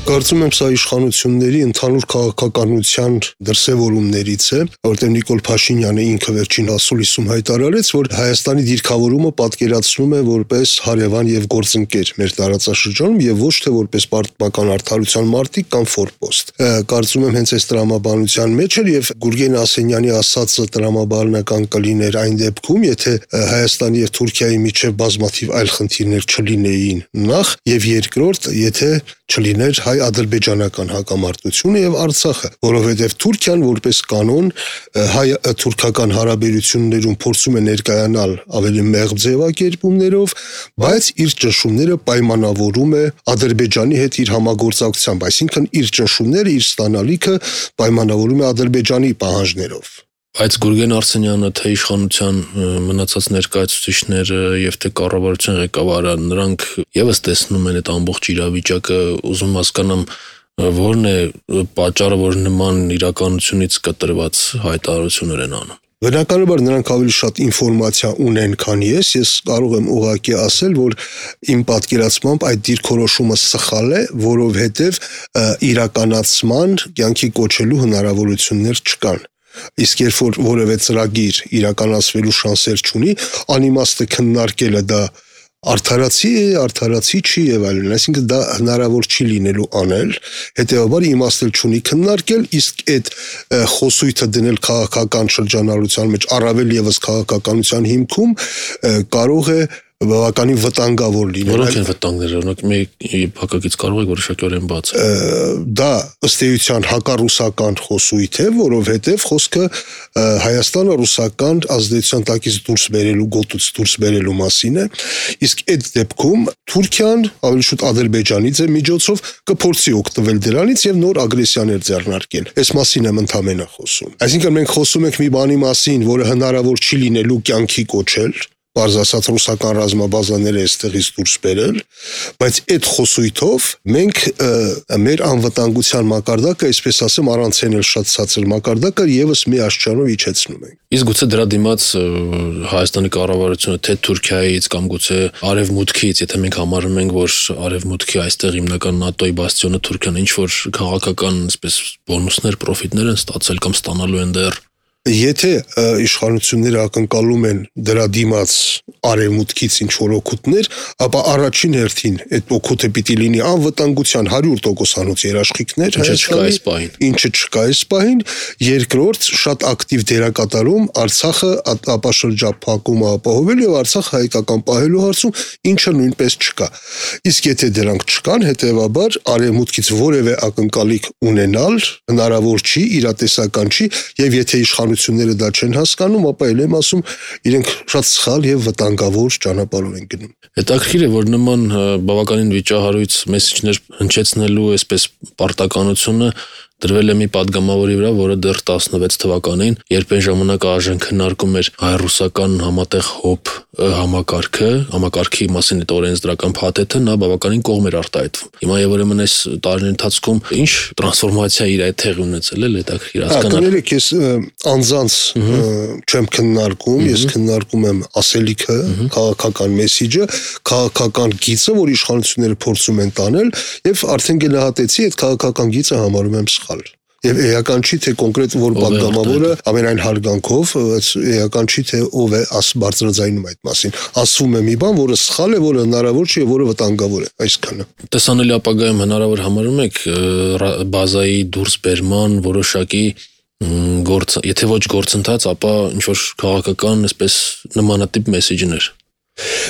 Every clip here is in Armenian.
Կարծում եմ սա իշխանությունների ընդհանուր քաղաքականության դրսևորումներից է, որտեղ Նիկոլ Փաշինյանը ինքը վերջին ասուլիսում հայտարարեց, որ Հայաստանի դիրքավորումը պատկերացնում է որպես հարևան եւ գործընկեր մեր տարածաշրջանում եւ ոչ թե որպես պարտական արդարության մարտիկ կամ ֆորպոստ։ Կարծում եմ հենց այս տրամաբանության մեջ էր եւ Գուրգեն Ասենյանի ասածը տրամաբանական կլիներ այն դեպքում, եթե Հայաստանի եւ Թուրքիայի միջև բազմաթիվ այլ խնդիրներ չլինեին նախ եւ երկրորդ, եթե չլիներ հայ-ադրբեջանական հակամարտությունը եւ Արցախը, որովհետեւ Թուրքիան որպես կանոն հայ-թուրքական հարաբերություններում փորձում է ներկայանալ ավելի մեղմ ձևակերպումներով, բայց իր ճնշումները պայմանավորում է Ադրբեջանի հետ իր համագործակցությամբ, այսինքն իր ճնշումները, իր ստանալիքը պայմանավորում է Ադրբեջանի պահանջներով։ Բայց Գուրգեն Արսենյանը թե իշխանության մնացած ներկայացուցիչները եւ թե կառավարության ղեկավարը նրանք եւս տեսնում են այդ ամբողջ իրավիճակը, ուզում հասկանամ որն է պատճառը, որ նման իրականությունից կտրված հայտարարություններ են անում։ Բնականաբար նրանք ավելի շատ ինֆորմացիա ունեն, քան ես կարող եմ ուղղակի ասել, որ իմ պատկերացմամբ այդ դիրքորոշումը սխալ է, որովհետեւ իրականացման կյանքի կոչելու հնարավորություններ չկան։ Իսկ երբ որ որևէ ծրագիր իրականացվելու շանսեր չունի, անիմաստը քննարկելը դա արդարացի չի եւ այլն, այսինքն դա հնարավոր չի լինելու անել, հետեւաբար իմաստ չունի քննարկել, իսկ այդ խոսույթը դնել քաղաքական շրջանառության մեջ, առավել եւս քաղաքականության հիմքում կարող է բավականին վտանգավոր լինել։ Որոնք են վտանգները, օրինակ մի փակագից կարող եք որոշակիորեն բացել։ Դա ըստ էության հակառուսական խոսույթ է, որովհետև խոսքը Հայաստանը ռուսական ազդեցության տակից դուրս բերելու, գոտուց դուրս բերելու մասին է, իսկ այդ դեպքում Թուրքիան ավելի շուտ Ադրբեջանի միջոցով կփորձի օգտվել դրանից եւ նոր ագրեսիաներ ձեռնարկել։ Այս մասին եմ ընդհանրապես խոսում։ Այսինքն մենք խոսում ենք մի բանի մասին, որը հնարավոր չի լինելու կյանքի կոչել, պարզ ասած ռուսական ռազմաբազաները այստեղից դուրս բերել, բայց այդ խոսույթով մենք մեր անվտանգության մակարդակը, այսպես ասեմ, առանց ենել շատ ցածր մակարդակը եւս մի աշճանով իջեցնում ենք։ Իսկ գուցե դրա դիմաց Հայաստանի կառավարությունը թե Թուրքիայից կամ գուցե Արևմուտքից, եթե մենք համարում ենք, որ Արևմուտքի այստեղ հիմնական ՆԱՏՕ-ի բաստիոնը Թուրքիան ինչ որ քաղաքական, այսպես բոնուսներ, պրոֆիտներ են ստացել կամ ստանալու են դեռ։ Եթե իշխանությունները ակնկալում են դրա դիմաց արևմուտքից ինչ-որ օգուտներ, ապա առաջին հերթին այդ օգուտը պիտի լինի անվտանգության 100%-անոց երաշխիքներ, ինչը չկա այս պահին, երկրորդ շատ ակտիվ դերակատարում Արցախը ապաշրջափակումը ապահովելու եւ Արցախը հայկական պահելու հարցում, ինչը նույնպես չկա։ Իսկ եթե դրանք չկան, հետեւաբար արևմուտքից որևէ ակնկալիք ունենալ հնարավոր չի, իրատեսական չի, եւ եթե իշխանությունները դա չեն հասկանում, ապա ել եմ ասում, իրենք շատ սխալ եւ վտանգավոր ճանապարհով են գնում։ Հետաքրքիր է, որ նման բավականին վիճահարույց մեսիջներ հնչեցնելու այսպես պարտականությունը դրվել է մի падգամավորի վրա, որը դեռ 16 թվականին, երբ այն ժամանակ ԱԺ-ն քննարկում էր հայ-ռուսական համատեղ ՀՕՊ համակարգի մասին այդ օրենսդրական փաթեթը, նա բավականին կողմ էր արտահայտվում։ Հիմա եւ ուրեմն այս տարիների ընթացքում ինչ տրանսֆորմացիա իր այդ տեղի ունեցել է, հետաքրքիր հասկանալ։ Կներեք, ես անձանց չեմ քննարկում, ես քննարկում եմ ասելիքը, քաղաքական մեսիջը, քաղաքական գիծը, որ իշխանությունները փորձում են տանել, եւ արդեն գնահատեցի այդ քաղաքական գիծը համարում եմ սխալ։ Եվ էական չի, թե կոնկրետ որ падգամավորը ամենայն հարգանքով, էական չի, թե ով է բարձրաձայնում այդ մասին։ Ասվում է մի բան, որը սխալ է, որը հնարավոր չի եւ որը վտանգավոր է, այսքանը։ Տեսանելի ապագայում հնարավոր համարում եք բազայի դուրս բերման որոշակի եթե ոչ գործընթաց, ապա ինչ որ քաղաքական, այսպես նմանատիպ մեսիջներ։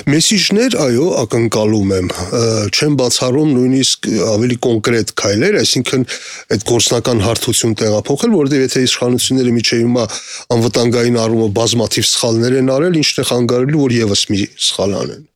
Մեսիջներ, այո, ակնկալում եմ, չեմ բացառում նույնիսկ ավելի կոնկրետ քայլեր, այսինքն այդ գործնական հարթություն տեղափոխել, որովհետև եթե իշխանությունները միջև հիմա անվտանգային առումով բազմաթիվ սխալներ են արել, ինչն է խանգարելու, որ եւս մի սխալ անեն։